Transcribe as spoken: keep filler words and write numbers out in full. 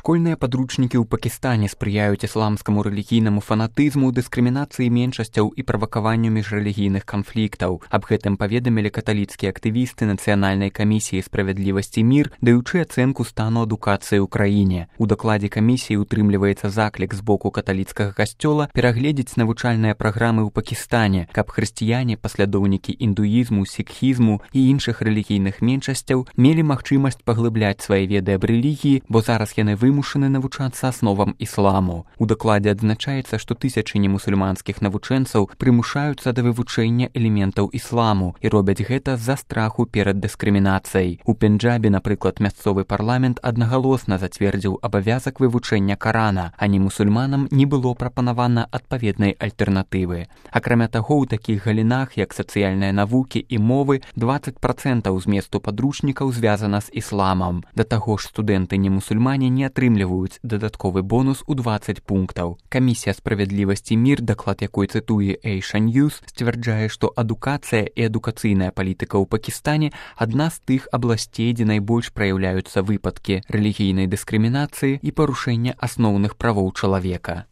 Школьныя падручнікі ў Пакістане спрыяюць ісламскаму рэлігійнаму фанатызму, дыскрымінацыі меншасцяў і правакаванню міжрэлігійных канфліктаў. Аб гэтым паведамілі каталіцкія актывісты Нацыянальнай камісіі справядлівасці мір, даючы ацэнку стану адукацыі ў краіне. У дакладзе камісіі утрымліваецца заклік з боку каталіцкага касцёла перагледзець навучальныя праграмы ў Пакістане, каб хрысціяне, паслядоўнікі індуізму, сікхізму і іншых рэлігійных меншасцяў мелі магчымасць паглыбляць свае веды аб рэлігіі, бо зараз яны вымушаны навучацца асновам ісламу. У дакладзе адзначаецца, што тысячы немусульманскіх навучэнцаў прымушаюцца да вывучэння элементаў ісламу і робяць гэта з-за страху перад дыскрымінацыяй. У Пенджабе, напрыклад, мясцовы парламент аднагалосна зацвердзіў абавязак вывучэння Карана, а немусульманам не было прапанавана адпаведнай альтэрнатывы. Акрамя таго, у такіх галінах, як сацыяльныя навукі і мовы, дваццаць працэнтаў зместу падручнікаў звязана з ісламам. Да таго ж студэнты немусульмане не атрымліваюць дадатковы бонус у дваццаць пунктаў. Камісія справядлівасці мір, даклад якой цытуе Asia News, сцвярджае, што адукацыя і адукацыйная палітыка ў Пакістане адна з тых абласцей, дзе найбольш праяўляюцца выпадкі рэлігійнай дыскрымінацыі і парушэння асноўных правоў чалавека.